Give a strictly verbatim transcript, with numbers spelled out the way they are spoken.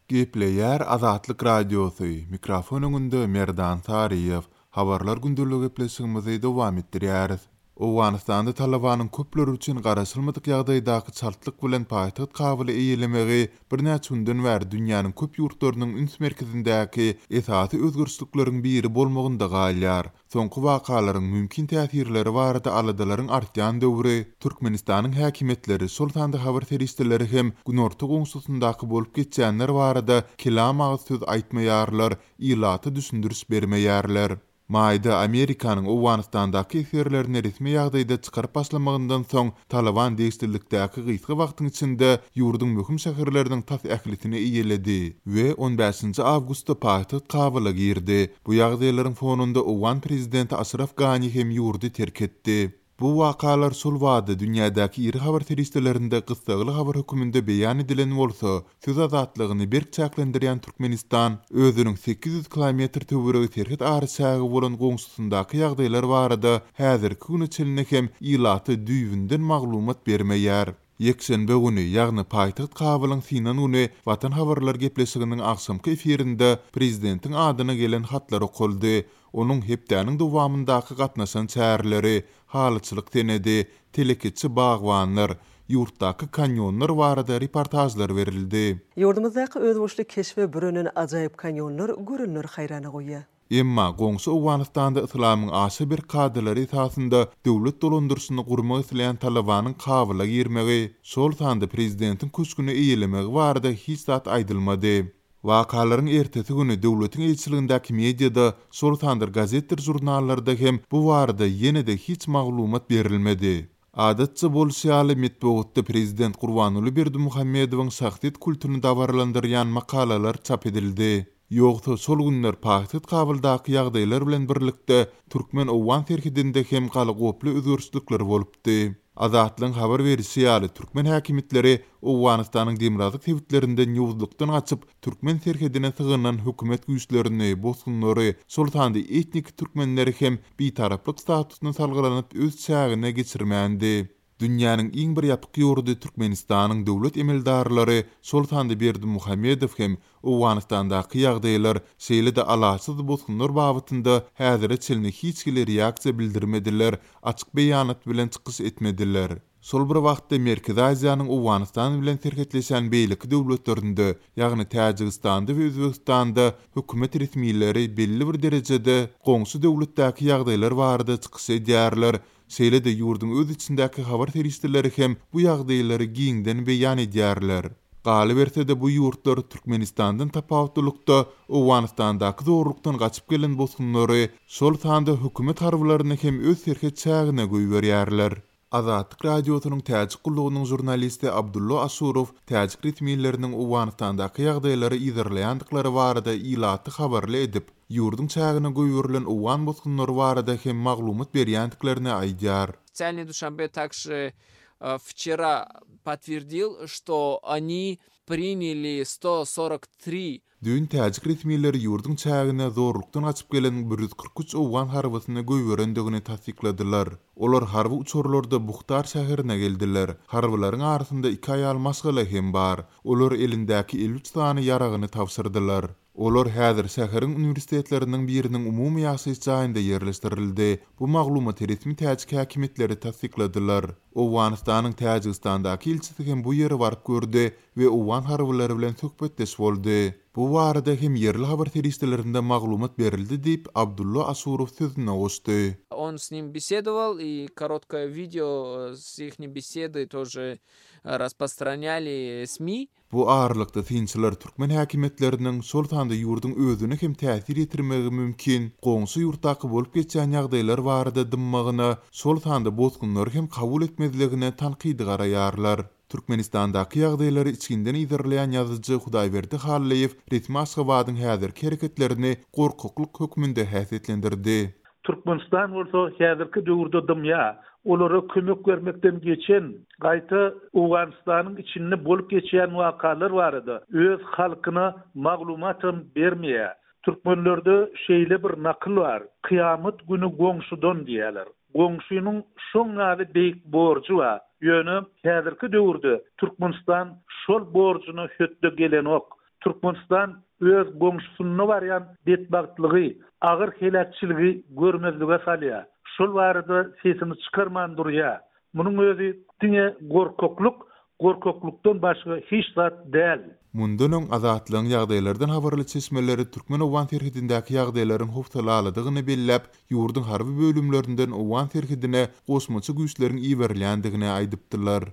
Gepleýär Azatlyk Radiosy, mikrofon öňünde Merdan Saryýew. Habarlar gündeligi gepleşigimizi dowam etdirýäris. Owganystanda Talabanyň köpler üçin garaşylmadyk ýagdaýdaky çaltlyk bilen paýtagt Kabuly eýelemegi birnäçe günden bäri dünýäniň köp ýurtlarynyň üns merkezindäki esasy özgerişlikleriň biri bolmagynda galýar. Soňky wakalaryň mümkin täsirleri barada aladalaryň artýan döwri Türkmenistanyň häkimiýetleri, şol sanda habar serişdeleri hem günorta goňşusyndaky bolup geçýänler barada kelam agyz söz aýtmaýarlar, ilata düşündiriş bermeýärler. Maýda Amerikanyň Owganystandaky esgerlerini resmi ýagdaýda çykaryp başlamagyndan soň Taliban degişlilikdäki gysga wagtyň içinde ýurduň möhüm şäherleriniň tas ählisini eýeledi we on bäşinji awgustda paýtagt Kabula girdi. Bu ýagdaýlaryň fonunda Owgan prezidenti Aşraf Gani hem ýurdy terk etdi. Bu wakalar şol wada dünýädäki iri habar serişdelerinde gyssagly habar hökmünde beýan edilen bolsa, söz azatlygyny berk çäklendirýän Türkmenistan özüniň sekiz ýüz kilometr töweregi serhet araçägi bolan goňşusyndaky ýagdaýlar barada häzirki güne çenli hem ilata düýbünden maglumat bermeýär. Ýekşenbe güni, ýagny paýtagt Kabulyň synan güni Watan habarlar gepleşiginiň agşamky efirinde prezidentiň adyna gelen hatlar okaldy. Onuň hepdäniň dowamyndaky gatnaşan çäreleri, halyçylyk senedi, telekeçi bagbanlar, ýurtdaky kanýonlar barada reportajlar berildi. Ýurdumyzdaky özboluşly keşbe bürenen ajaýyp kanýonlar görenler haýrana goýýar. Emma goňşy Owganystanda yslamyň aşa bir kadalary esasynda döwlet dolandyryşyny gurmak isleýän Talabanyň Kabula girmegi, şol sanda prezidentiň köşgüni eýelemegi barada hiç zat aýdylmady. Wakalaryň ertesi güni döwletiň eýeçiligindäki mediada, şol sanda gazetdir žurnallarda hem bu barada ýene-de hiç maglumat berilmedi. Adatça bolşy ýaly metbugatda prezident Gurbanguly Berdimuhamedowyň şahsyýet kultuny dabaralandyrýan makalalar çap edildi. Ýogsa şol günler paýtagt Kabuldaky ýagdaýlar bilen birlikde Türkmen-Owgan serhedinde hem galagoply özgerişlikler bolupdy. Azatlygyň habar berişi ýaly türkmen häkimiýetleri Owganystanyň demirgazyk sebitlerinden ýowuzlykdan gaçyp türkmen serhedine sygynan hökümet güýçlerini, bosgunlary, şol sanda etnik türkmenleri hem bitaraplyk statusyna salgylanyp öz çägine geçirmändi. Dünýäniň iň bir ýapyk ýurdy Türkmenistanyň döwlet emeldarlary, şol sanda Berdimuhamedow hem Owganystandaky ýagdaýlar, şeýle-de alaçsyz bosgunlar babatynda häzire çenli hiç hili reaksiýa bildirmediler, açyk beýanat bilen çykyş etmediler. Şol bir wagtda Merkezi Aziýanyň Owganystan bilen serhetleşen beýleki döwletlerinde, ýagny Täjigistanda we Özbegistanda hökümet resmileri belli bir derejede goňşy döwletdäki ýagdaýlar barada çykyş edýärler. Şeýle-de ýurduň öz içindäki habar serişdeleri hem bu ýagdaýlary giňden beýan edýärler. Galyberse-de bu ýurtlar Türkmenistandan tapawutlylykda Owganystandaky zorlukdan gaçyp gelen bosgunlary, şol sanda hökümet harbylaryny hem öz serhet çägine goýberýärler. Azatlyk Radiosynyň Täjik gullugynyň žurnalisti Abdulla Aşurow täjik resmileriniň Owganystandaky ýagdaýlary yzarlaýandyklary barada ilaty habarly edip, ýurduň çägine goýberilen owgan bosgunlary barada hem maglumat berýändiklerini aýdýar. Официальный Душанбе также, э, вчера подтвердил, что они приняли сто сорок три. Düýn täjik resmileri ýurduň çägine zorlukdan gaçyp gelen bir ýüz kyrk üç owgan harbysyny goýberendigini tassykladylar. Olar harby uçarlarda Buhtar şäherine geldiler. Harbylaryň arasynda iki aýal maşgala hem bar. Olar elindäki elli üç sany ýaragyny tabşyrdylar. Olar häzir şäheriň uniwersitetleriniň biriniň umumy ýaşaýyş jaýynda ýerleşdirildi. Bu maglumaty resmi täjik häkimiýetleri tassykladylar. Owganystanyň Täjigistandaky ilçisi hem bu ýere baryp gördi we owgan harbylary bilen söhbetdeş boldy. Bu barada hem ýerli habar serişdelerinde maglumat berildi diýip Abdulla Aşurow sözüne goşdy. Он с ним беседовал, и короткое видео с их беседы тоже распространяли СМИ. Bu aralykda synçylar türkmen häkimiýetleriniň şol sanda ýurduň özüne hem täsir ýetirmegi mümkin, goňşy ýurtdaky bolup geçýän ýagdaýlar barada dymmagyna, şol sanda bosgunlary hem kabul etmezligine tankydy garaýarlar. Türkmenistandaky ýagdaýlary içginden yzarlaýan ýazyjy Hudaýberdi Hallyýew resmi Aşgabadyň häzirki hereketlerini gorkaklyk hökmünde häsiýetlendirdi. Türkmenistan bolsa häzirki döwürde dymýar. Olara kömek bermekden geçen gaýta Owganystanyň içinde bolup geçýän wakalar barada öz halkyna maglumatam bermeýär. Türkmenlerde şeýle bir nakyl bar. Kıyamet günü goňşudan diýerler. Goňşynyň şoň ýaly beýik borjy bar. Ýöne häzirki döwürde Türkmenistan şol borjuna hötde gelenok. Türkmenistan öz goňşusynda barýan betbagtlygy, agyr heläkçiligi görmezlige salýar. Şol barada sesini çykarman durýar. Munuň özi diňe gorkaklyk, gorkaklykdan başga hiç zat däl. Mundan öň Azatlygyň ýagdaýlardan habarly çeşmeleri türkmen-owgan serhedindäki ýagdaýlaryň howsalalydygyny belläp, ýurduň harby bölümlerinden owgan serhedine goşmaça güýçleriň iberilýändigini aýdypdylar.